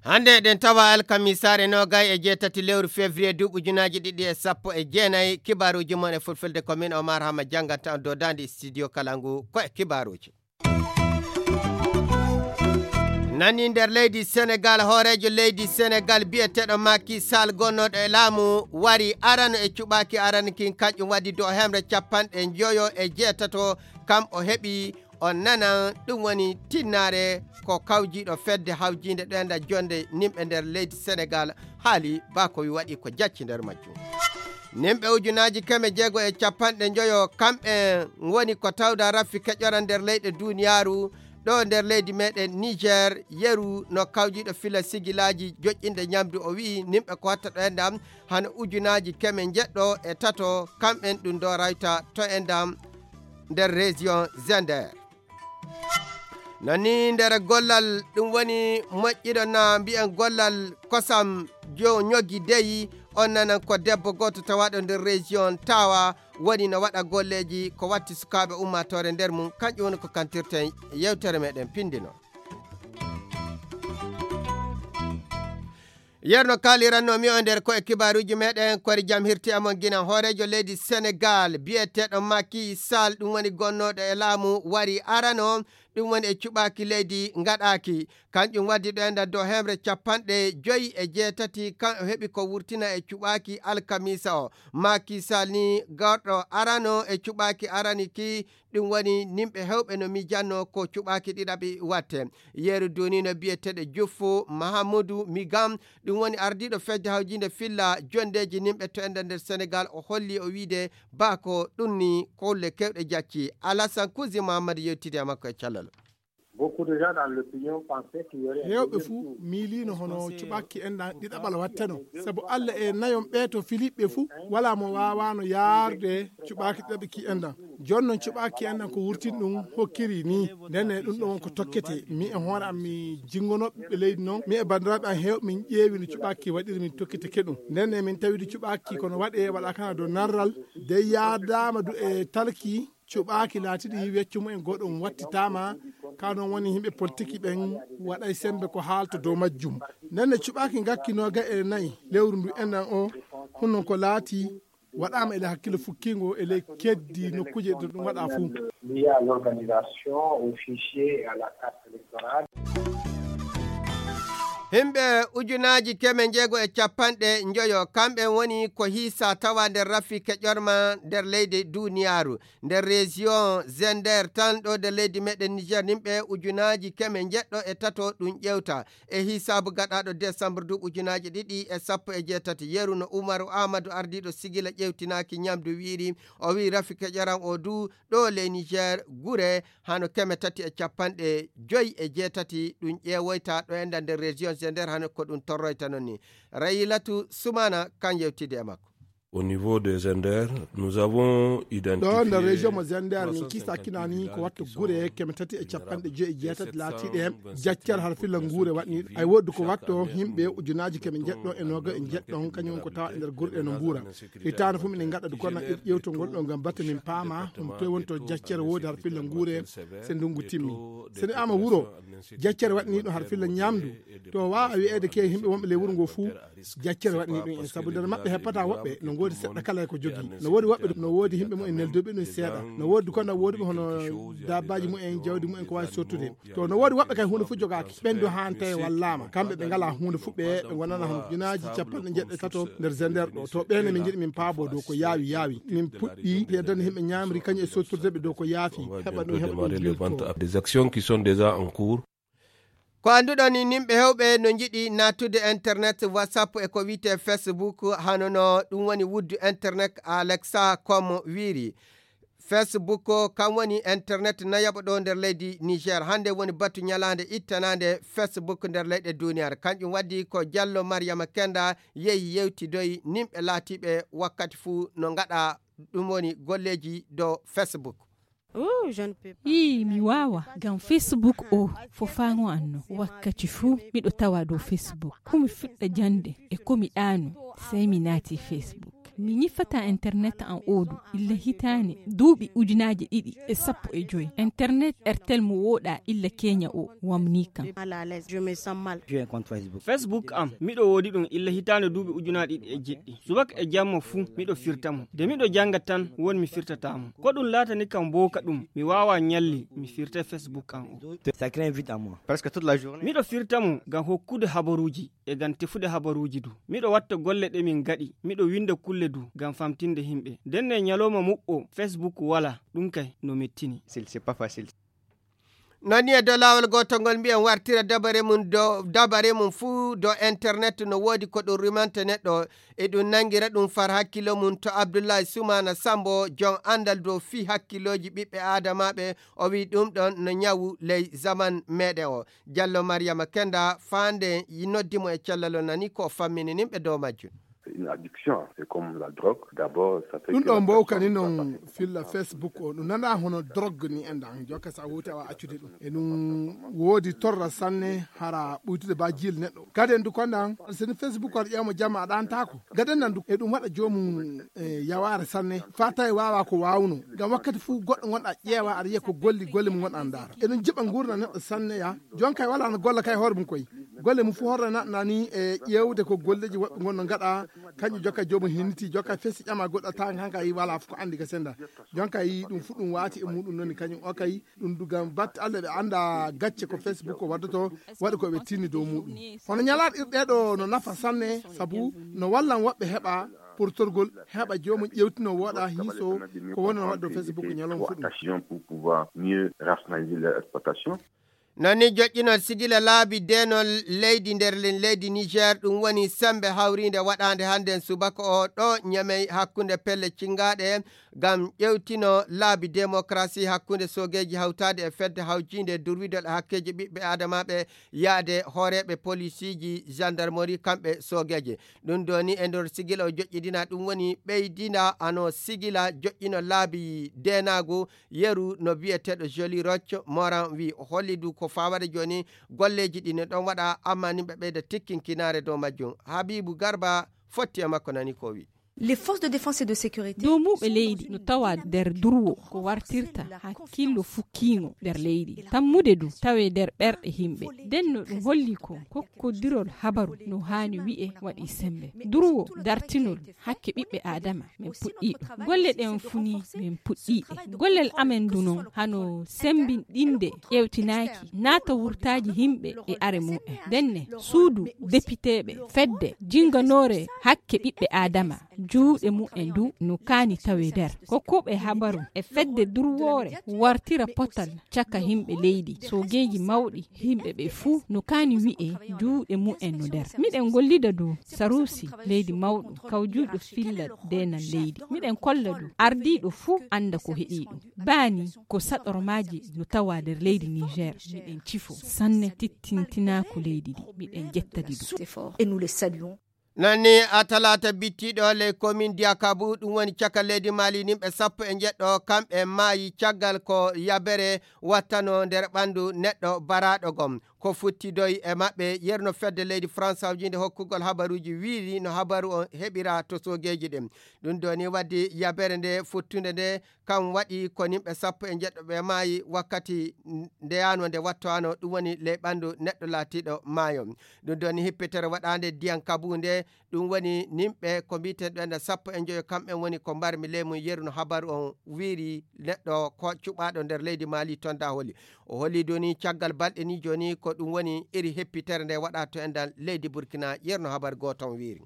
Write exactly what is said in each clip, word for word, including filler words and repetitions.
Hannde eɗen tawa alkamisaare noogay e jeetati lewru février duuɓi ujunaaji ɗiɗi e sappo e jeenayi. Kibaaruuji mon e fulfulde ko min Omar Hama jannganta on dodaandi studio kala ngu ko e kibaaruuji. Nani nder leydi Senegal, hooreejo leydi Senegal biyeteeɗo Macky Sall gonnooɗo e laamu wari arano e cuɓaaki arano kin, kañƴum waɗi do hemre capanɗe njoyo e jeetato kam o heɓi. On nanan ɗum woni tinnaare ko kawjiiɗo fedde hawjiinde ɗoyanda jonde nimɓe nder leydi Senegal haali ba ko wi waɗi ko jacci nder majjum. Nimɓe ujunaaji keme jeego e capanɗe njoyo kamɓe woni ko tawda raffi keƴora nder leyɗe duniyaaru. Ɗo nder leydi meɗen Niger, yeru no kawjiiɗo fila sigilaaji joƴƴinde ñamdu o wi'i nimɓe ko watta ɗo e ndam hano ujunaaji keme njeɗɗo e tato kamɓen ɗum ɗo rayta to e ndam nder région Zender. No ni nder gollal ɗum woni moƴƴiɗo na mbiyen gollal kosam jo ñogi deyi, on nanan ko debbo gooto tawaɗo nder région Tawa woni no waɗa golleeji ko watti sukaaɓe ummaatoore nder mum, kanƴum woni ko kantirten yewtere meɗen pindino. Yerno kaaliranno mi o nder ko e kibaaruuji meɗen kori jam hirti amon gina hooreejo leydi Senegal biyeteeɗo Macky Sall ɗum woni gonnooɗo e laamu wari arano ɗum woni e cuɓaaki leydi ngaɗaaki. Kanƴum waddi ɗo enda dow hemre capanɗe joyi e jeetati kan o heɓi ko wurtina e cuɓaaki alkamisa o. Macky Sall ni garɗo arano e cuɓaaki arani ki ɗum woni nimɓe hewɓe no mijanno ko cuɓaaki ɗiɗaɓi watte. Yeru dunino biyeteeɗo Juffu Mahamudu Migam ɗum woni ardiiɗo fedde hawjinde filla jondeeji nimɓe to enda nder Senegal o holli o wiide ba ko ɗum ni kolle kewɗe jacci. Alasan Kuzi Mahammadu yewtidi e makko e callal. Heewɓe fuu miiliino hono cuɓaaki enɗan ɗiɗaɓal watteno, sabu Alla e nayon ɓee to filiɓɓe fuu walaa mo waawaano yaarde cuɓaaki ɗiɗaɓi ki enɗan. Jooni noon cuɓaaki enɗan ko wurtin ɗum hokkiri nii. Ndenne ɗum ɗo won ko tokkete. Mi e hoore am mi jinngonoo ɓiɓɓe leydi noon. Mi e banndiraaɓe am heewɓe min ƴeewi no cuɓaaki waɗiri min tokkiteke ɗum. Ndenne min tawidi cuɓaaki kono waɗee waɗa kana dow narral. De yaadaama du e talki cuɓaaki laatiɗi weccu mumen goɗɗum wattitaama. Ka noon woni yimɓe politiki ɓen waɗay sembe ko haalta dow majjum. Ndenne cuɓaaki ngakki nooga e nayi lewru ndu enɗan o hunnon ko laati waɗaama e ley hakkille fukkingo e ley keddi nokkuuje ɗo ɗum waɗa fuu. Lié à l'organisation, au fichier et à la carte électorale. Himɓe ujunaaji keme njeego e capanɗe njoyo kamɓe woni ko hiisa tawa nder rafi keƴorma nder leydi duniyaaru. Nder région Zender tan ɗo nder leydi meɗen Niger nimɓe ujunaaji keme njeɗɗo e tato ɗum ƴewta. E hisaabu gaɗaaɗo décembre du ujunaaji ɗiɗi e sappo e jeetati yeru no Umaru Ahmadu ardiiɗo sigila ƴewtinaaki ñamdu wiiri o wii rafi keƴoran o du ɗo ley Niger gure hano keme tati e capanɗe joyi e jeetati ɗum ƴeewoyta ɗo enda nder région Zender hano ko ɗum torroyta noon ni. Rayilatu Sumana kan yewtidi e makko. Au niveau de Zender, nous avons identifié ɗo nder région mo Zender min kiisa kinani ko watta gure keme tati e capanɗe joyi e jeetati laatiiɗe jaccere har filla nguure waɗniiɗo ay woodi ko watto yimɓe ujunaaji keme jeɗɗo e nooga e jeɗɗo kañum ko tawa e nder gurɗe no mbuura. Hitaande fof minen ngaɗa du kono ƴewtol ngol ɗo ngam batte min paama ɗum toye woni to jaccere woodi har filla nguure se ndungu timmi. Sene ama wuro jaccere waɗniiɗo har filla ñamdu to waawa wiyeede ke yimɓe wonɓe ley wuro ngo fuu jaccere waɗni ɗum en sabu nder maɓɓe heppata woɓɓe no ngoodi seɗɗa kala e ko jogii no woodi woɓɓe no woodi yimɓe mumen nelduɓe ɗum seeɗa no woodi kono woodi ɓe hono dabbaaji mumen jawdi mumen ko waawi sottude to no woodi woɓɓe kay huunde fof jogaaki ɓen do haanta e wallaama kamɓe ɓe ngalaa huunde fof ɓe ɓe ngonana hono junaaji capanɗe jeɗɗe tato nder zender ɗo to ɓeen min njiɗi min paabo dow ko yaawi yaawi min puɗɗi yeddande yimɓe ñaamri kañum e sottirde ɓe dow ko yaafi heɓa ɗum heɓa ɗum des actions qui sont déjà en cours. Ko annduɗon ni nimɓe hewɓe no njiɗi nattude internet WhatsApp e ko wiyte Facebook hano no ɗum woni wuddu internet Alexa comme wiiri. Facebook kam woni internet nayaɓo ɗo nder leydi Niger hannde woni batu ñalaande ittanande Facebook nder leyɗe duniyar kanƴum waddi ko jallo Mariama Kenda yehi yewtidoyi nimɓe laatiɓe wakkati fuu no ngaɗa ɗum woni golleeji dow Facebook. Ii, mi waawa, ngam Facebook o fofaango an no. Wakkati fuu miɗo tawa dow Facebook. Ko mi fuɗɗa jannde e ko mi ɗaano, sey mi naati Facebook. Mi ñifataa internet an oodu illa hitaande duuɓi ujunaaji ɗiɗi e sappo e joy. Internet Airtel mo wooɗaa illa keña o wamnii kam. Facebook am, miɗo woodi ɗum illa hitaande duuɓi ujunaaji ɗiɗi e jeɗɗi. Subaka e jamma fuu, miɗo firta mo. Nde miɗo jannga tan, won mi firtataa mo. Ko ɗum laatani kam mbooka ɗum, mi waawaa ñalli, mi firta Facebook am o. Miɗo firta mo ngam hokkude habaruuji e ngam tefude habaruuji du. Miɗo watta golle ɗe min ngaɗi, miɗo winnda kulle du ngam famtinde yimɓe. Ndenne ñalooma muɓɓo Facebook walaa, ɗum kay no mettini. Non ni e dow laawol gootol ngol mbiyen wartira dabare mum dow dabare mum fuu dow internet no woodi ko ɗum rimanta neɗɗo. Eɗum nanngira ɗum far hakkilo mum to Abdullahi Sumana Sambo, jom anndal dow fii hakkilooji ɓiɓɓe aadamaaɓe. O wii ɗum ɗon no ñawu ley zaman meɗen o. Jallo Mariyama Kenda faande noddi mo e cellal o nani ko o fammini nimɓe dow majjum. Ɗum ɗo mbowkani non filla Facebook o ɗum nana hono drogue ni enɗan jokka sa wowti awa accude ɗum e ɗum woodi torra sanne hara ɓuytude ba jil neɗɗo. Kadi en du konɗan seni Facebook aɗa ƴeewma jamma aɗa antako. Gaden nan du e ɗum waɗa joomum e yawaare sanne fa tawi wawa ko wawno. Ngam wakkati fuu goɗɗo gonɗa ƴeewa aɗa yiya ko golli golle mum gonɗa ndaara e ɗum jiɓa ngurna neɗɗo sanne ya. Jon kay wala no golla kay hoore mum koy. Golle mum fuu horre naɗna ni e ƴeewde ko golleji woɓɓe gonno gaɗa. Kañum jokka joomum hinniti jokka fesi ƴama goɗɗo tawa han kay wala fof ko andi ga senda. Jon kay ɗum fuu ɗum waati e muɗum noni kañum o kay. Ɗum dugam batte allah ɓe anda gacce ko Facebook ko waddoto. Waɗi ko ɓe tinni dow muɗum hono ñalaɗe ɗiɗi ɗeɗo no nafa sanne. Sabu no wallan woɓɓe heɓa portorgol heɓa joomum ƴewtino woɗa hiiso. Ko woni no waɗi dow Facebook ñalawma fuɗum. Non ni joƴƴinol sigila laabi deenol leydi nder leydi Niger ɗum woni sembe hawriinde waɗaande hannden subaka o ɗo Ñamey hakkunde pelle cingaaɗe ngam ƴewtino laabi demokarasi hakkunde soogeeji hawtaade e fedde hawjiinde durwidol e hakkeeji ɓiɓɓe aadamaaɓe yahde hooreeɓe polisiiji gendarmerie kamɓe soogeeje. Ɗum ɗo ni e nder sigila o joƴƴidina ɗum woni ɓeydina ano sigila joƴƴino laabi deenaagu. Yeru no biyeteeɗo Joli Roch Moran wi holli du ko fawade jooni golleeji ɗi no ɗon waɗa amma ni ɓe ɓeyda tikkinkinaare dow majjum. Habibu Garba fotti e makko nani ko wi. Les forces de défense et de sécurité. Doomuuɓe leydi no tawa nder durwo ko wartirta hakkillo fukkiingo nder leydi tammude du tawe nder ɓerɗe yimɓe. Nden no ɗum holli ko kokkodirol habaru no haani wi'e waɗi sembe durwo dartinol hakke ɓiɓɓe aadama. Min puɗɗiiɗo golle ɗen funi min puɗɗiiɗe gollel amen ndu non hano sembinɗinde ƴewtinaaki naata wurtaaji yimɓe e are mumen. Ndenne suudu depiteeɓe fedde jinganoore hakke ɓiɓɓe aadama juuɗe mumen ndu no kaani tawe nder kokkuɓe habaru e fedde durwoore wartira potal caka yimɓe leydi soogeeji mawɗi. Yimɓe ɓe fuu no kaani wi'e juuɗe mumen no nder miɗen gollida dow saruusi leydi mawɗo kawjuuɗo filla deenan leydi miɗen kolla dow ardiiɗo fuu annda ko heɗii ɗum. Baani ko saɗormaaji no tawa nder leydi Niger miɗen cifo sanne tittintinaaku leydi ndi miɗen jettadi ɗum. Nanni a talaata bittiiɗo ley komin diyakabu ɗum woni caka leydi maali nimɓe sappo e njeɗɗo kamɓe maayi caggal ko yabere wattano nder ɓanndu neɗɗo baraaɗo gom ko futtidoy e maɓɓe yerno fedde leydi France hawjinde hokkugol habaruuji wiiri no habaru on heɓira to soogeeji ɗin. Ɗum ɗo ni waddi yabere nde futtunde nde kam waɗi ko nimɓe sappo e njeɗɗo ɓe maayi wakkati ndeyano nde wattowano ɗum woni ley ɓanndu neɗɗo laatiiɗo maayo. Ɗum ɗo ni hippitere waɗaande ndiyan kabu nde ɗum woni nimɓe ko mbiiten ɗo enda sappo e njoyo kamɓen woni ko mbarmi ley mum yeru no habaru on wiiri neɗɗo ko cuɓaaɗo nder leydi maali tonda holi. O holi doni caggal balɗe ni joni ko ɗum woni iri heppitere nde waɗa to endan leydi burkina yerno habar gooton wiiri.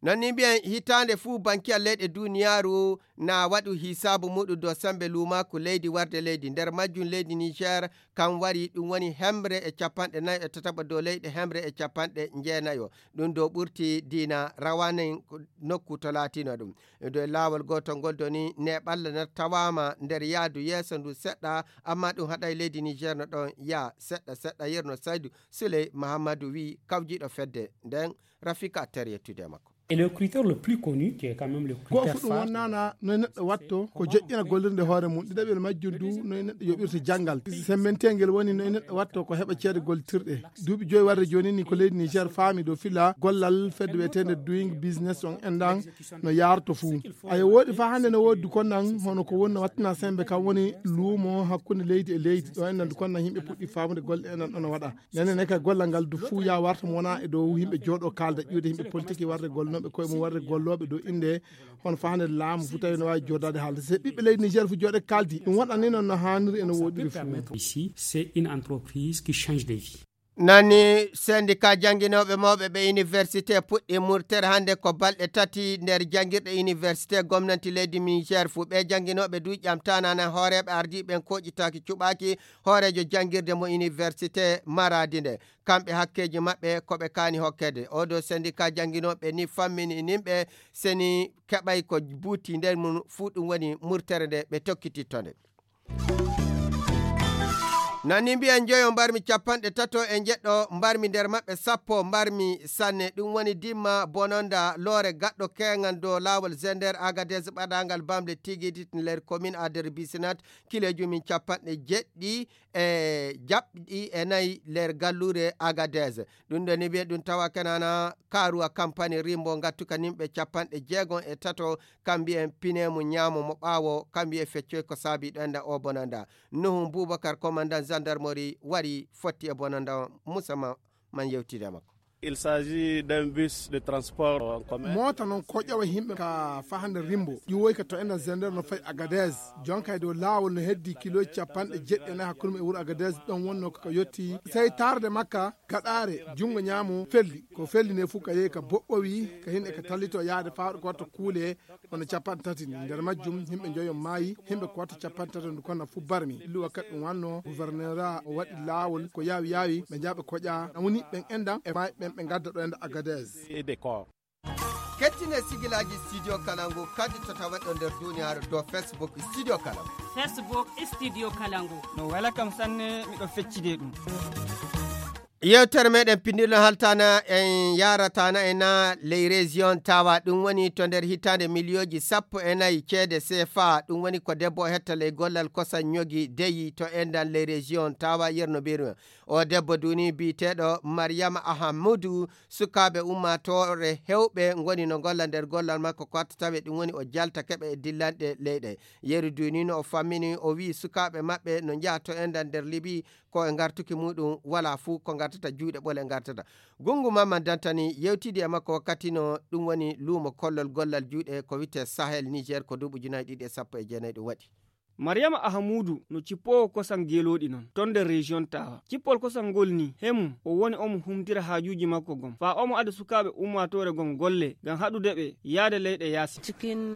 Non ni mbiyen hitaande fuu bankiyal leyɗe duniyaaru na waɗu hisaabu muɗum dow sembe luumaaku leydi warde leydi nder majjum leydi niger. Kam wari ɗum woni hemre e capanɗe nayo e tataɓo dow leyɗe hemre e capanɗe njeenayo. Ɗum dow ɓurti diina rawanen nokku to laatino ɗum. E dow laawol gootol ngol doni neɓalla na tawaama nder yaadu yeeso ndu seɗɗa. Amma ɗum haɗay leydi niger no ɗon yaa seɗɗa seɗɗa yerno saydu suley mahammadu wi kawjiɗo fedde nden. Rafika ter yettude e makko. Et le critère le plus connu, qui est quand même le critère phare, go'o fu ɗum wonnaana noy neɗɗo watto ko joƴƴina gollirde hoore mum, ɗiɗaɓel majjum du noy neɗɗo yoɓirta janngal. Semmbentengel woni noy neɗɗo watto ko heɓa ceede gollitirɗe. Duuɓi joyi warde jooni ni ko leydi Niger faami dow fila gollal fedde wiyeteende Doing Business on endan no yaarto fuu. Ayo, woodi fa hannde no woodi kon nan hono ko woni no wattina sembe kam woni luumo hakkunde leydi e leydi. Ɗo endan kon nan yimɓe puɗɗi faamude golle endan ɗon waɗa. Nene ne ka gollal ngal du fuu ya warta mo wona e dow yimɓe jooɗo kaalda ƴuude yimɓe politique warde gollooɓe koye mum warde gollooɓe dow innde hono fa hannde laamu fuu tawi no waawi jooɗaade haalde. Se ɓiɓɓe leydi Niger fuu jooɗe kaaldi ɗum waɗani noon no haaniri eno woɗiri fuu. Ici, c'est une entreprise qui change de vie. Nani, syndicat jannginooɓe mawɓe ɓe université puɗɗi murtere hannde ko balɗe tati nder janngirɗe université gomnanti leydi Niger fuu. Ɓe jannginooɓe du ƴamtanana hooreeɓe ardiiɓe ɓen koƴitaaki cuɓaaki hooreejo janngirde mo université Maradi nde. Kamɓe hakkeeji maɓɓe ko ɓe kaani hokkede. Oɗo syndicat jannginooɓe ni fammini nimɓe seni keɓay ko buuti nder mum fuu ɗum woni murtere nde ɓe tokkititto nde. Nani mbiyen joyo mbarmi capanɗe tato e jeɗɗo mbarmi nder maɓɓe sappo mbarmi sanne. Ɗum woni dimma bononda loore gaɗɗo keŋan dow laawol Zender Agadez ɓaɗangal bamle tigidit nder commune Ader Bisinat kileeji mum capanɗe jeɗɗi e jaɓɗi e nayi nder galluure Agadez. Ɗum ɗo ni wiye ɗum tawa kenana karuwa kampani rimbo ngattuka nimɓe capanɗe jeegom e tato kam mbiyen pine mum ñaamo mo ɓaawo kam wiye feccoy ko saabi ɗo enda o bonanda. Nuhu Boubacar commandant gendarmerie wari fotti e bonanda musamman man yewtide makko. Il s'agit d'un bus de transport en commun. Moota noon ko ƴewa yimɓe ka fahande rimbo ƴiwoy ka to enda zender no fay Agadez. Jonka e dow laawol no heddi kiloji capanɗe jeɗɗi e nayi hakkunde e wuro Agadez ɗon wonno ko ka yotti sey tarde makka gaɗaare jungo ñaamo felli ko felli ne fof ka yehi ka boɓɓowi ka hinɗe ka tallito yaade fawɗo ko watta kuule. Kono capanɗe tati nder majjum yimɓe njoyo maayi, yimɓe ko watta capanɗe tati ndu konna fof barmi. Illu wakkati ɗum wanno gouverneur o waɗi laawol ko yaawi yaawi ɓe njaɓe koƴa woni ɓen endan e maayi ɓen ɓe ngadda ɗo enda Agadez. Kettine sigilaaji studio kalangu kadi to tawa ɗo nder duniyaaru dow Facebook studio kalangu. Facebook studio kalangu. No wela kam sanne miɗo feccide ɗum. Yewtere meɗen pinndino haltana en yaratana e na ley région tawa ɗum woni to nder hitande miliyooji sappo e nayi ceede sefa ɗum woni ko debbo o hetta ley gollal kosan ñogi deyi to endan ley région tawa yerno birma. O debbo duni biyeteɗo Maryama Ahamudu sukaaɓe ummatore hewɓe ngoni no golla nder gollal makko ko watta tawe ɗum woni o jalta keɓe e dillanɗe leyɗe. Yeru duni no o fammini o wi sukaaɓe maɓɓe no njaha to endan nder libi ko e ngartuki muɗum wala fuu ko ngartata juuɗe ɓole ngartata. Gungu mamman dantani yewtidi e makko wakkati no ɗum woni luumo kollol gollal juuɗe ko wite sahel niger ko duuɓi ujunaji ɗiɗi e sappo e jeenayi ɗum waɗi. Mariyama ahamudu no cippoowo kosan geelooɗi non ton nder region tawa cippol kosan ngol ni hemum o woni omo humtira haajuuji makko gom faa omo ada sukaaɓe ummaatoore gom golle ngam haɗude ɓe yaade leyɗe yaasi.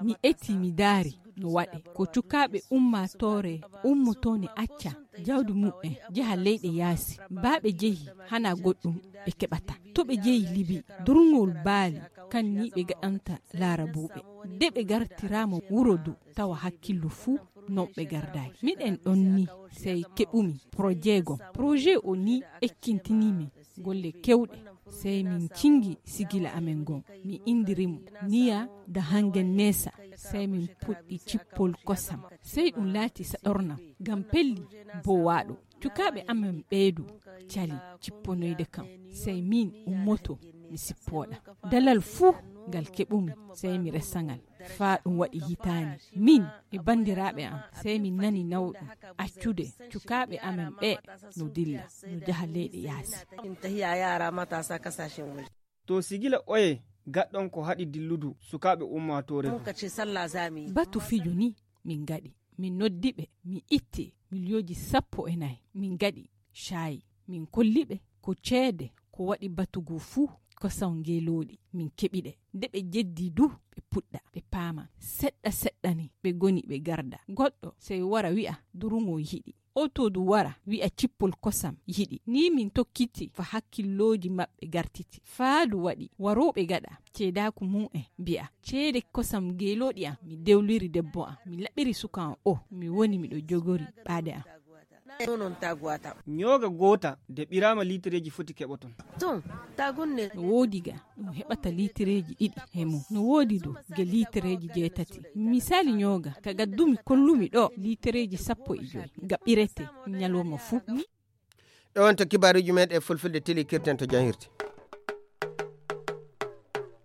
Mi eti mi daari no waɗe ko cukaaɓe ummaatoore ummotoone acca jawdi muɓɓen jeha leyɗe yaasi baa ɓe jehi hana goɗɗum ɓe keɓata to ɓe jehi libi durngol baali kan ni ɓe gaɗanta laarabuuɓe de ɓe gartiraama wuro du tawa hakkillu fuu non ɓe gardaaki miɗen ɗon ni sey keɓumi projet gom projet o ni ekkintinii min golle kewɗe sey min cingi sigila amen ngon mi indiri mo niya da hangen neesa sey min puɗɗi cippol kosam sey ɗum laati saɗornam ngam pelli bowaaɗo cukaaɓe amen ɓeedu cali cipponoyde kam sey min ummoto mi sippooɗa dalal fuu ngal keɓumi sey mi resangal faa ɗum waɗi hitaani min e banndiraaɓe am sey min nani nawɗum accude cukaaɓe amen ɓe no dilla no jaha leyɗe yaasi. To sigila oye gaɗɗon ko haɗi dilludu sukaaɓe ummaatoore du. Batu fijo ni min ngaɗi min noddi ɓe min itti miliyooji sappo e nayi min ngaɗi caayi min kolli ɓe ko ceede ko waɗi batu goo fuu kosan ngeelooɗi min keɓi ɗe nde ɓe jeddi du ɓe puɗɗa ɓe paama seɗɗa seɗɗa ni ɓe ngoni ɓe garda goɗɗo sey wara wi'a durungo yiɗi oto du wara wi'a cippol kosam yiɗi ni min tokkiti fa hakkillooji maɓɓe gartiti faa du waɗi warooɓe gaɗa ceedaaku mum en mbi'a ceede kosam ngeelooɗi am mi dewliri debbo am mi laɓiri suka am o mi woni miɗo jogori ɓaade am. Nonon taguwata. Ñooga goota de ɓiraama liitereeji foti keɓoton. Ton, tagunne. No woodi ga ɗum heɓata liitereeji ɗiɗi he mum. No woodi du ge liitereeji jeetati. Misali ñooga ka gaddumi kollumi ɗo liitereeji sappo e joy ga ɓirete ñalawma fuu. Ɗo wonto kibaaruuji men e fulfulde teli kirten to janhirde.